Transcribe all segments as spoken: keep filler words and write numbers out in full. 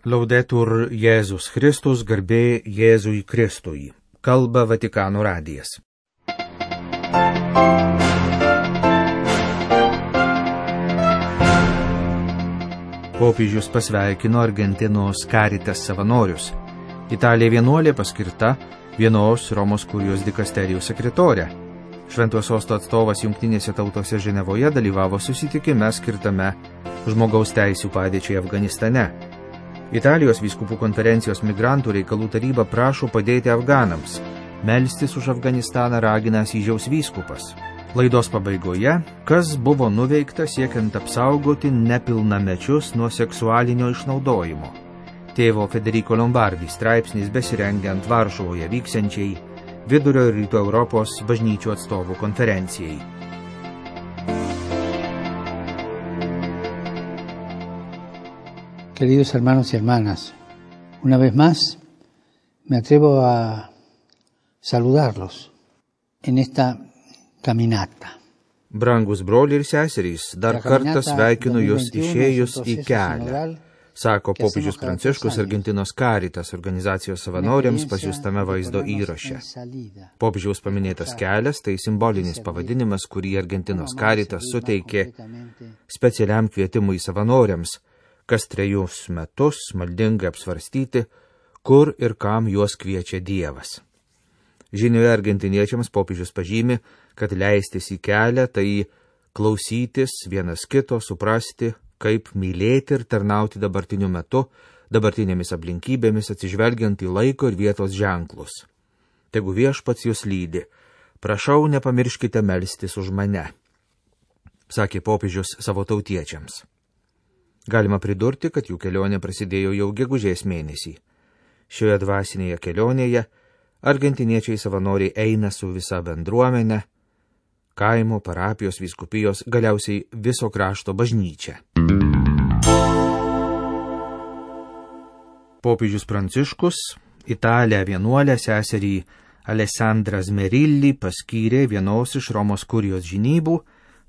Laudetur Jėzus Kristus, garbė Jėzui Kristui. Kalba Vatikano radijas. Popiežius pasveikino Argentinos Caritas savanorius. Italija vienuolė paskirta vienos Romos kurijos dikasterijos sekretorė. Šventojo sosto atstovas Jungtinėse tautose Ženevoje dalyvavo susitikime skirtame žmogaus teisių padėčiai Afganistane. Italijos vyskupų konferencijos migrantų reikalų taryba prašo padėti afganams. Melstis už Afganistaną ragina Asyžiaus vyskupas. Laidos pabaigoje, kas buvo nuveikta siekiant apsaugoti nepilnamečius nuo seksualinio išnaudojimo. Tėvo Federico Lombardi straipsnis besirengiant Varšuvoje vyksiančiai Vidurio ir Rytų Europos bažnyčių atstovų konferencijai. Queridos hermanos y hermanas, una vez más me atrevo a saludarlos en esta caminata. Brangus broliai ir seserys, dar kartą sveikinu jūs išėjus į kelią, sako popiežius Pranciškus Argentinos Caritas organizacijos savanoriams pasiųstame vaizdo įraše. Popiežiaus paminėtas kelias tai simbolinis pavadinimas, kurį Argentinos Caritas suteikė specialiam kvietimui savanoriams, kas trejus metus maldingai apsvarstyti, kur ir kam juos kviečia Dievas. Žinioje argentiniečiams popiežius pažymi, kad leistis į kelią tai klausytis vienas kito, suprasti, kaip mylėti ir tarnauti dabartiniu metu, dabartinėmis aplinkybėmis atsižvelgiant į laiko ir vietos ženklus. Tegu viešpats jūs lydi, prašau nepamirškite melstis už mane, sakė popiežius savo tautiečiams. Galima pridurti, kad jų kelionė prasidėjo jau gegužės mėnesį. Šioje dvasinėje kelionėje argentiniečiai savanoriai eina su visa bendruomenė, kaimo, parapijos, vyskupijos, galiausiai viso krašto bažnyčia. Popiežius Pranciškus Italę vienuolę seserį Alessandrą Zmerilli paskyrė vienos iš Romos kurijos žinybų,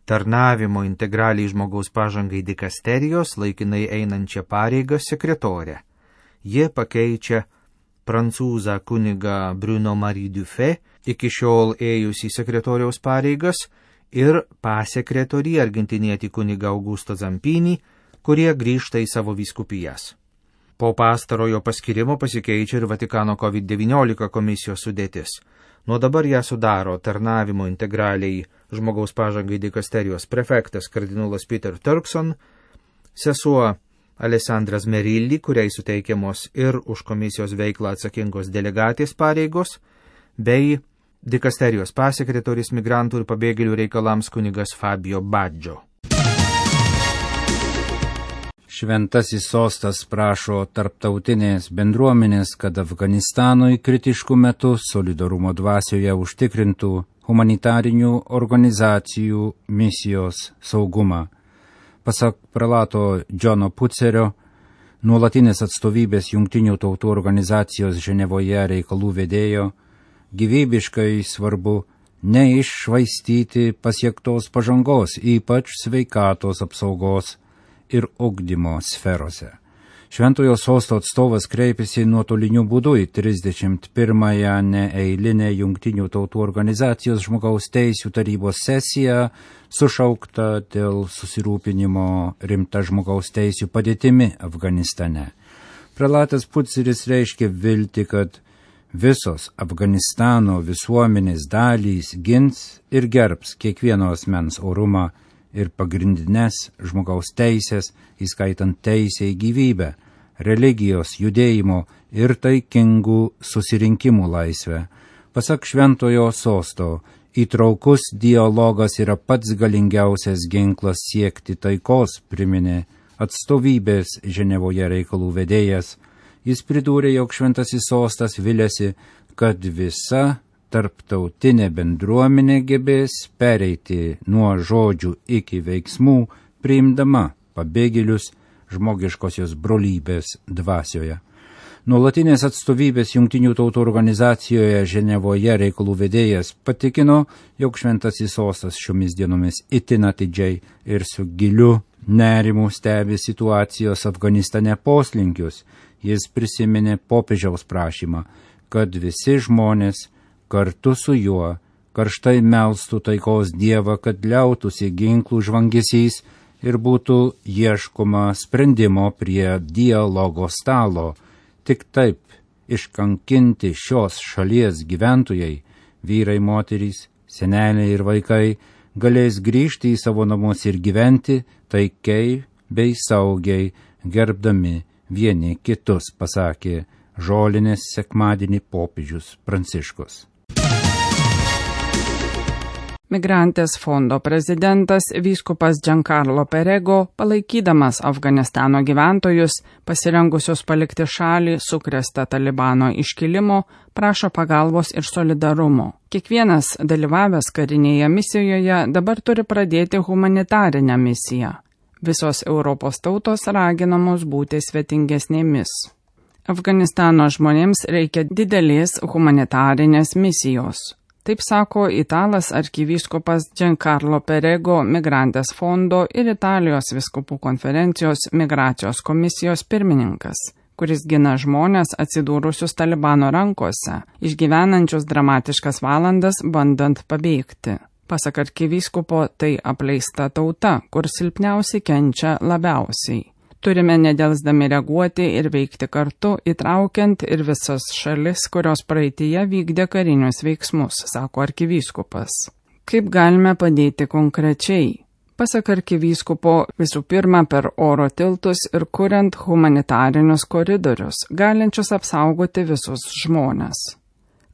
tarnavimo integraliai žmogaus pažangai dikasterijos laikinai einančią pareigą sekretorę. Jie pakeičia prancūzą kunigą Bruno Marie Dufay, iki šiol ėjusį sekretoriaus pareigas, ir pasekretorį argentinietį kunigą Augusto Zampini, kurie grįžta į savo vyskupijas. Po pastarojo paskirimo pasikeičia ir Vatikano covid devyniolika komisijos sudėtis. Nuo dabar ją sudaro tarnavimo integraliai žmogaus pažangai dikasterijos prefektas kardinolas Peter Turkson, sesuo Alessandra Zmerilli, kuriai suteikiamos ir už komisijos veiklą atsakingos delegatės pareigos, bei dikasterijos pasekretorius migrantų ir pabėgėlių reikalams kunigas Fabio Baggio. Šventasis sostas prašo tarptautinės bendruomenės, kad Afganistanui kritiškų metų solidarumo dvasioje užtikrintų humanitarinių organizacijų misijos saugumą. Pasak prelato Džono Pucerio, nuolatinės atstovybės Jungtinių tautų organizacijos Ženevoje reikalų vedėjo, gyvybiškai svarbu neiššvaistyti pasiektos pažangos, ypač sveikatos apsaugos ir ugdymo sferose. Šventojo sosto atstovas kreipėsi nuotoliniu būdu į trisdešimt pirmąją neeilinę Jungtinių tautų organizacijos žmogaus teisių tarybos sesiją, sušauktą dėl susirūpinimo rimta žmogaus teisių padėtimi Afganistane. Prelatas Puceris reiškė viltį, kad visos Afganistano visuomenės dalys gins ir gerbs kiekvieno asmens orumą ir pagrindinės žmogaus teisės, įskaitant teisę į gyvybę, religijos, judėjimo ir taikingų susirinkimų laisvę. Pasak Šventojo sosto, įtraukus dialogas yra pats galingiausias ginklas siekti taikos, priminė atstovybės Ženevoje reikalų vedėjas. Jis pridūrė, jog Šventasis sostas viliasi, kad visa tarptautinė bendruomenė gebės pereiti nuo žodžių iki veiksmų, priimdama pabėgėlius žmogiškosios brolybės dvasioje. Nuolatinės atstovybės Jungtinių tautų organizacijoje Ženevoje reikalų vedėjas patikino, jog Šventasis sostas šiomis dienomis itin atidžiai ir su giliu nerimų stebi situacijos Afganistane poslinkius. Jis prisiminė popiežiaus prašymą, kad visi žmonės kartu su juo karštai melstų taikos Dievą, kad liautųsi ginklų žvangesys ir būtų ieškoma sprendimo prie dialogo stalo. Tik taip iškankinti šios šalies gyventojai, vyrai, moterys, seneliai ir vaikai, galės grįžti į savo namus ir gyventi taikiai bei saugiai, gerbdami vieni kitus, pasakė Žolinės sekmadienį popiežius Pranciškus. Migrantės fondo prezidentas vyskupas Giancarlo Perego, palaikydamas Afganistano gyventojus, pasirengusius palikti šalį sukrėstą Talibano iškilimo, prašo pagalbos ir solidarumo. Kiekvienas dalyvavęs karinėje misijoje dabar turi pradėti humanitarinę misiją. Visos Europos tautos raginamos būti svetingesnėmis. Afganistano žmonėms reikia didelės humanitarinės misijos. Taip sako italas arkivyskupas Giancarlo Perego, Migrantės fondo ir Italijos vyskupų konferencijos migracijos komisijos pirmininkas, kuris gina žmonės atsidūrusius Talibano rankose, išgyvenančius dramatiškas valandas bandant pabėgti. Pasak arkivyskupo, tai apleista tauta, kur silpniausiai kenčia labiausiai. Turime nedelsdami reaguoti ir veikti kartu, įtraukiant ir visas šalis, kurios praeityje vykdė karinius veiksmus, sako arkivyskupas. Kaip galime padėti konkrečiai? Pasak arkivyskupo, visų pirma per oro tiltus ir kuriant humanitarinius koridorius, galinčius apsaugoti visus žmones.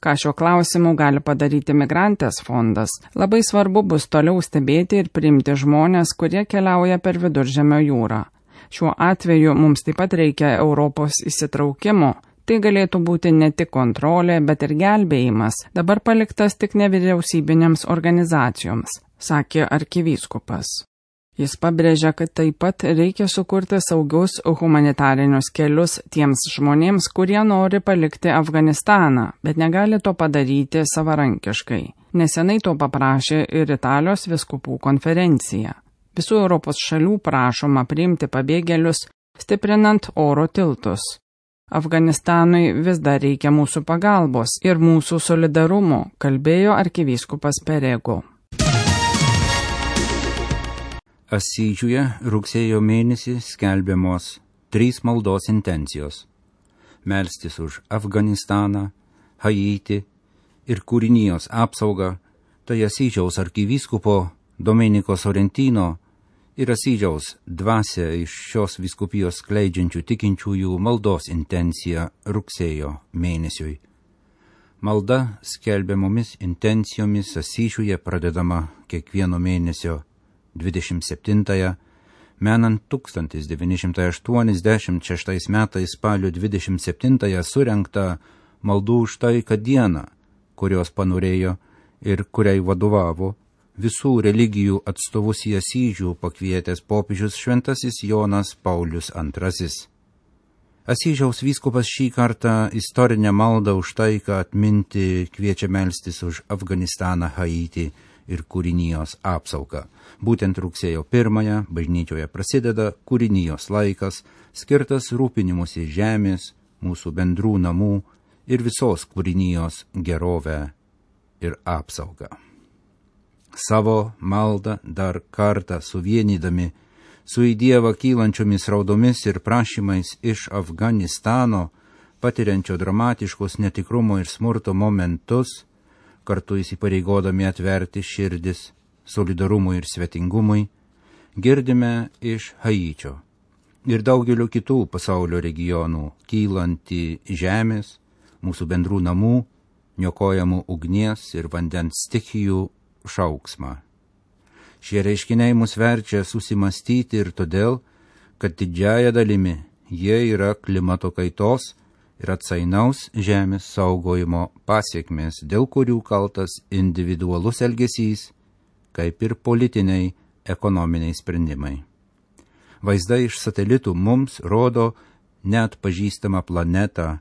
Ką šiuo klausimu gali padaryti Migrantės fondas, labai svarbu bus toliau stebėti ir priimti žmonės, kurie keliauja per Viduržemio jūrą. Šiuo atveju mums taip pat reikia Europos įsitraukimo. Tai galėtų būti ne tik kontrolė, bet ir gelbėjimas, dabar paliktas tik nevyriausybinėms organizacijoms, sakė arkivyskupas. Jis pabrėžia, kad taip pat reikia sukurti saugius humanitarinius kelius tiems žmonėms, kurie nori palikti Afganistaną, bet negali to padaryti savarankiškai. Nesenai to paprašė ir Italijos vyskupų konferencija. Visų Europos šalių prašoma priimti pabėgėlius, stiprinant oro tiltus. Afganistanui vis dar reikia mūsų pagalbos ir mūsų solidarumo, kalbėjo arkivyskupas Perego. Asyžiuje rugsėjo mėnesį skelbiamos trys maldos intencijos – melstis už Afganistaną, Haitį ir kūrinijos apsaugą. Tai Asyžiaus arkivyskupo Domeniko Sorrentino ir Asyžiaus dvasia iš šios vyskupijos skleidžiančių tikinčiųjų maldos intencija rugsėjo mėnesiui. Malda skelbiamomis intencijomis Asyžiuje pradedama kiekvieno mėnesio dvidešimt septintąją, menant tūkstantis devyni šimtai aštuoniasdešimt šeštais metais spalio dvidešimt septintąją surengtą maldų už taiką dieną, kurios panorėjo ir kuriai vadovavo visų religijų atstovus į Asyžių pakvietęs popiežius šventasis Jonas Paulius antrasis. Asyžiaus vyskupas šį kartą istorinę maldą už taiką atminti kviečia melstis už Afganistaną, Haitį ir kūrinijos apsaugą. Būtent rugsėjo pirmąją bažnyčioje prasideda kūrinijos laikas, skirtas rūpinimusi žemės, mūsų bendrų namų ir visos kūrinijos gerovę ir apsaugą. Savo maldą dar kartą suvienydami su į Dievą kylančiomis raudomis ir prašymais iš Afganistano, patiriančio dramatiškos netikrumo ir smurto momentus, kartu įsipareigodami atverti širdis solidarumui ir svetingumui, girdime iš Haičio ir daugelio kitų pasaulio regionų kylantį žemės, mūsų bendrų namų, niokojamų ugnies ir vandens stichijų šauksmą. Šie reiškiniai mus verčia susimastyti ir todėl, kad didžiaja dalimi jie yra klimato kaitos ir atsainaus žemės saugojimo pasiekmės, dėl kurių kaltas individualus elgesys, kaip ir politiniai, ekonominiai sprendimai. Vaizdai iš satelitų mums rodo neatpažįstamą planetą,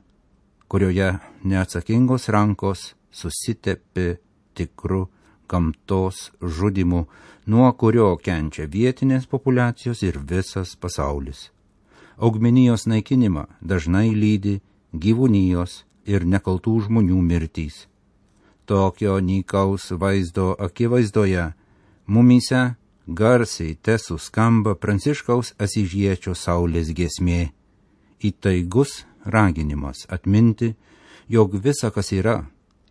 kurioje neatsakingos rankos susitepė tikru gamtos žudimu, nuo kurio kenčia vietinės populiacijos ir visas pasaulis. Augmenijos naikinimą dažnai lydi gyvūnijos ir nekaltų žmonių mirtys. Tokio nykaus vaizdo akivaizdoje mumyse garsiai tesuskamba Pranciškaus Asyžiečio saulės giesmė, įtaigus raginimas atminti, jog visa, kas yra,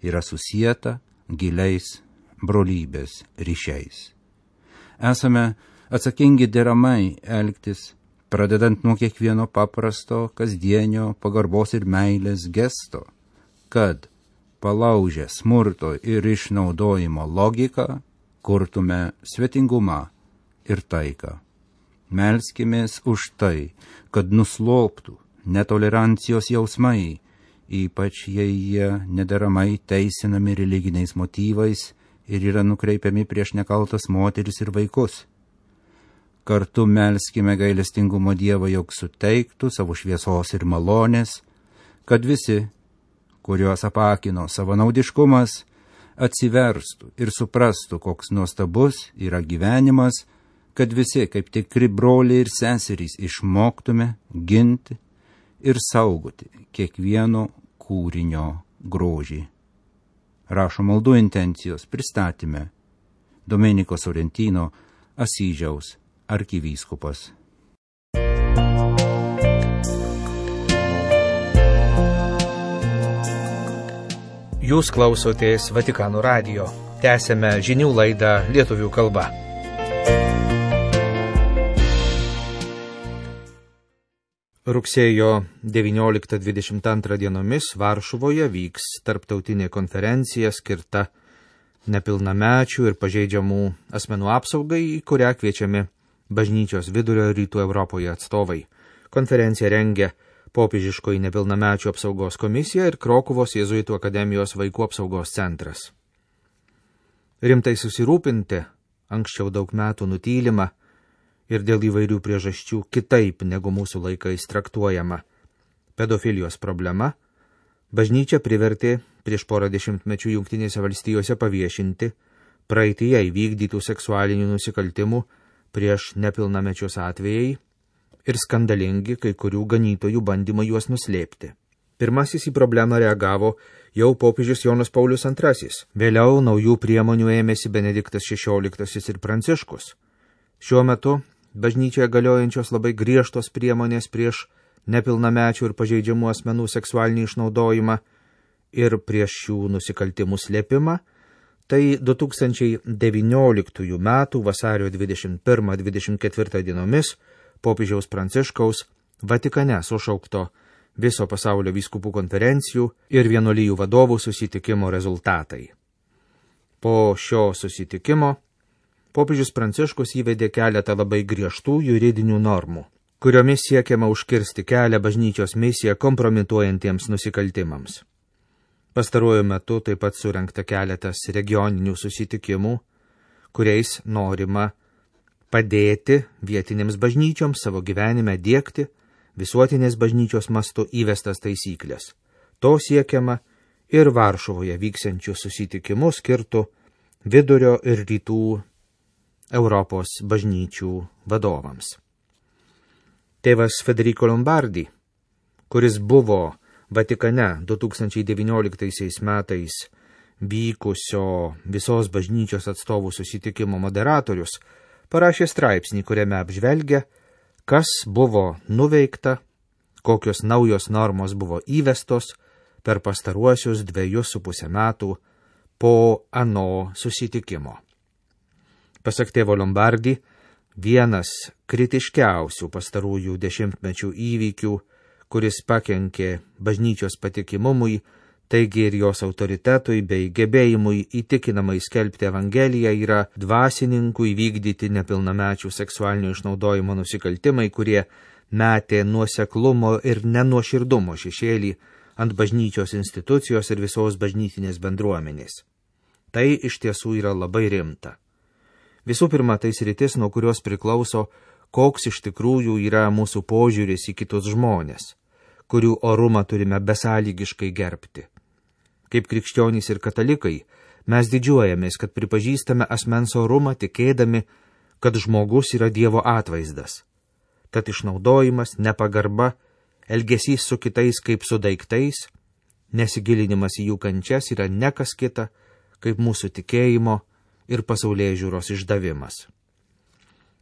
yra susieta giliais brolybės ryšiais. Esame atsakingi deramai elgtis, pradedant nuo kiekvieno paprasto, kasdienio pagarbos ir meilės gesto, kad palaužę smurto ir išnaudojimo logiką, kurtume svetingumą ir taiką. Melskimės už tai, kad nusloptų netolerancijos jausmai, ypač jei jie nederamai teisinami religiniais motyvais ir yra nukreipiami prieš nekaltas moteris ir vaikus. Kartu melskime gailestingumo Dievą, jog suteiktų savo šviesos ir malonės, kad visi, kuriuos apakino savanaudiškumas, atsiverstų ir suprastų, koks nuostabus yra gyvenimas, kad visi, kaip tikri broliai ir seserys, išmoktume ginti ir saugoti kiekvieno kūrinio grožį. Rašo maldų intencijos pristatyme Domenico Sorrentino, Asyžiaus arkivyskupas. Jūs klausotės Vatikano radijo. Tęsėme žinių laidą lietuvių kalba. Rugsėjo devynioliktą dvidešimt antrą dienomis Varšuvoje vyks tarptautinė konferencija skirta nepilnamečių ir pažeidžiamų asmenų apsaugai, į kurią kviečiami bažnyčios vidurio rytų Europoje atstovai. Konferenciją rengia Popiežiškoji nepilnamečių apsaugos komisija ir Krokuvos Jėzuitų akademijos vaikų apsaugos centras. Rimtai susirūpinti, anksčiau daug metų nutylima ir dėl įvairių priežasčių kitaip negu mūsų laikais traktuojama pedofilijos problema, bažnyčia privertė prieš porą dešimtmečių Jungtinėse valstijose paviešinti praeityje įvykdytų seksualinių nusikaltimų prieš nepilnamečius atvejai ir skandalingi kai kurių ganytojų bandymą juos nuslėpti. Pirmasis į problemą reagavo jau popiežius Jonas Paulius antrasis. Vėliau naujų priemonių ėmėsi Benediktas šešioliktasis ir Pranciškus. Šiuo metu bažnyčioje galiojančios labai griežtos priemonės prieš nepilnamečių ir pažeidžiamų asmenų seksualinį išnaudojimą ir prieš šių nusikaltimų slėpimą, tai du tūkstančiai devynioliktųjų metų vasario dvidešimt pirmą dvidešimt ketvirtą dienomis popiežiaus Pranciškaus Vatikane sušaukto viso pasaulio vyskupų konferencijų ir vienuolijų vadovų susitikimo rezultatai. Po šio susitikimo popiežius Pranciškus įvedė keletą labai griežtų juridinių normų, kuriomis siekiama užkirsti kelią bažnyčios misiją kompromituojantiems nusikaltimams. Pastaruoju metu taip pat surengta keletas regioninių susitikimų, kuriais norima padėti vietinėms bažnyčioms savo gyvenime diegti visuotinės bažnyčios mastu įvestas taisyklės. To siekiama ir Varšuvoje vyksiančių susitikimų skirtų vidurio ir rytų Europos bažnyčių vadovams. Tėvas Federico Lombardi, kuris buvo Vatikane du tūkstančiai devynioliktaisiais metais vykusio visos bažnyčios atstovų susitikimo moderatorius, parašė straipsnį, kuriame apžvelgia, kas buvo nuveikta, kokios naujos normos buvo įvestos per pastaruosius dvejus su pusę metų po ano susitikimo. Pasak tėvo Lombardi, vienas kritiškiausių pastarųjų dešimtmečių įvykių, kuris pakenkė bažnyčios patikimumui, taigi ir jos autoritetui bei gebėjimui įtikinamai skelbti Evangeliją, yra dvasininkų įvykdyti nepilnamečių seksualinio išnaudojimo nusikaltimai, kurie metė nuoseklumo ir nenuoširdumo šešėlį ant bažnyčios institucijos ir visos bažnytinės bendruomenės. Tai iš tiesų yra labai rimta. Visų pirma, tai sritis, nuo kurios priklauso, koks iš tikrųjų yra mūsų požiūris į kitus žmonės, kurių orumą turime besąlygiškai gerbti. Kaip krikščionys ir katalikai, Mes didžiuojamės, kad pripažįstame asmens orumą, tikėdami, kad žmogus yra Dievo atvaizdas. Tad išnaudojimas, nepagarba, elgesys su kitais kaip su daiktais, nesigilinimas į jų kančias yra ne kas kita, kaip mūsų tikėjimo ir pasaulėžiūros išdavimas.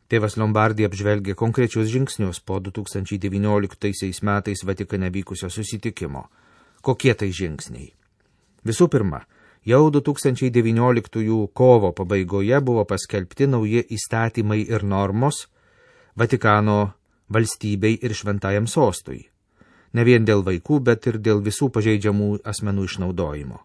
Tėvas Lombardi apžvelgė konkrečius žingsnius po du tūkstančiai devynioliktaisiais metais Vatikane vykusio susitikimo. Kokie tai žingsniai? Visų pirma, jau du tūkstančiai devynioliktųjų kovo pabaigoje buvo paskelbti nauji įstatymai ir normos Vatikano valstybei ir šventajam sostui. Ne vien dėl vaikų, bet ir dėl visų pažeidžiamų asmenų išnaudojimo.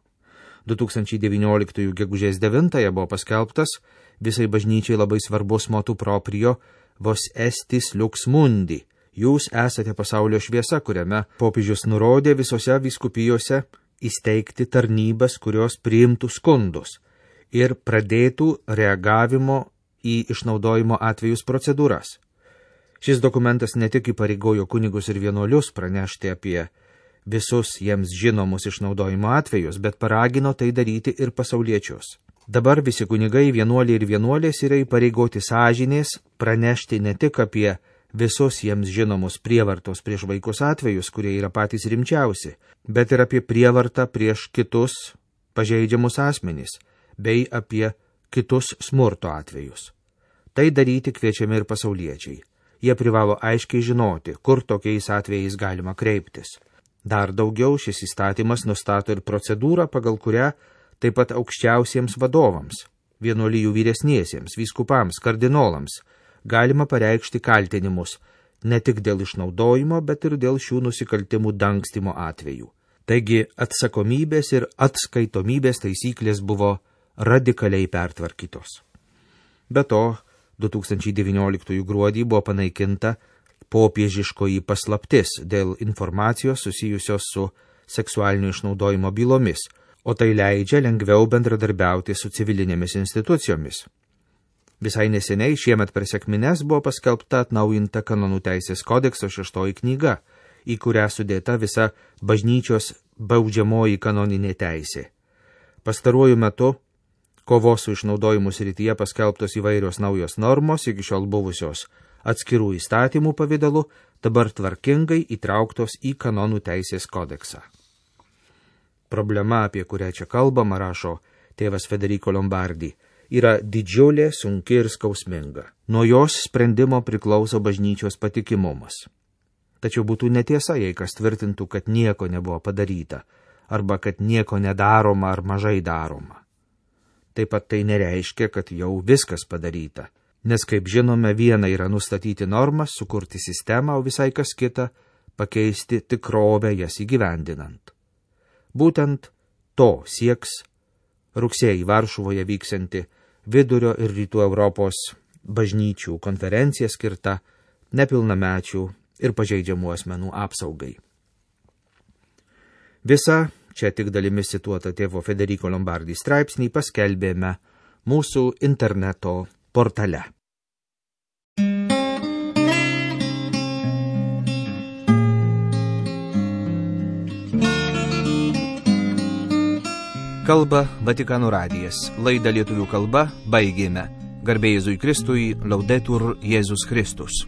du tūkstančiai devynioliktųjų gegužės devintąją buvo paskelbtas visai bažnyčiai labai svarbus motu proprio vos estis lux mundi. Jūs esate pasaulio šviesa, kuriame popiežius nurodė visose vyskupijose įsteigti tarnybas, kurios priimtų skundus ir pradėtų reagavimo į išnaudojimo atvejus procedūras. Šis dokumentas ne tik įpareigojo kunigus ir vienuolius pranešti apie visus jiems žinomus išnaudojimo atvejus, bet paragino tai daryti ir pasauliečius. Dabar visi kunigai, vienuoliai ir vienuolės yra įpareigoti sąžinės pranešti ne tik apie visus jiems žinomus prievartos prieš vaikus atvejus, kurie yra patys rimčiausi, bet ir apie prievartą prieš kitus pažeidžiamus asmenys, bei apie kitus smurto atvejus. Tai daryti kviečiami ir pasauliečiai. Jie privalo aiškiai žinoti, kur tokiais atvejais galima kreiptis. Dar daugiau, šis įstatymas nustato ir procedūrą, pagal kurią taip pat aukščiausiems vadovams, vienuolijų vyresniesiems, vyskupams, kardinolams, galima pareikšti kaltinimus ne tik dėl išnaudojimo, bet ir dėl šių nusikaltimų dangstymo atvejų. Taigi atsakomybės ir atskaitomybės taisyklės buvo radikaliai pertvarkytos. Be to, du tūkstančiai devynioliktųjų gruodį buvo panaikinta popiežiškoji paslaptis dėl informacijos susijusios su seksualinio išnaudojimo bylomis, o tai leidžia lengviau bendradarbiauti su civilinėmis institucijomis. Visai neseniai šiemet per sekmines buvo paskelbta atnaujinta kanonų teisės kodekso šeštoji knyga, į kurią sudėta visa bažnyčios baudžiamoji kanoninė teisė. Pastaruoju metu kovos su išnaudojimu srityje paskelbtos įvairios naujos normos, iki šiol buvusios atskirų įstatymų pavidalu, dabar tvarkingai įtrauktos į kanonų teisės kodeksą. Problema, apie kurią čia kalbama, rašo tėvas Federico Lombardi, yra didžiulė, sunki ir skausminga. Nuo jos sprendimo priklauso bažnyčios patikimumas. Tačiau būtų netiesa, jei kas tvirtintų, kad nieko nebuvo padaryta, arba kad nieko nedaroma ar mažai daroma. Taip pat tai nereiškia, kad jau viskas padaryta, nes, kaip žinome, viena yra nustatyti normas, sukurti sistemą, o visai kas kita – pakeisti tikrovę jas įgyvendinant. Būtent to sieks rugsėjį Varšuvoje vyksianti Vidurio ir Rytų Europos bažnyčių konferencija skirta nepilnamečių ir pažeidžiamų asmenų apsaugai. Visa čia tik dalimis cituota tėvo Federico Lombardi straipsnį paskelbėme mūsų interneto portale. Kalba Vatikano radijas. Laidą lietuvių kalba baigėme. Garbė Jėzui Kristui, Laudetur Jėzus Kristus.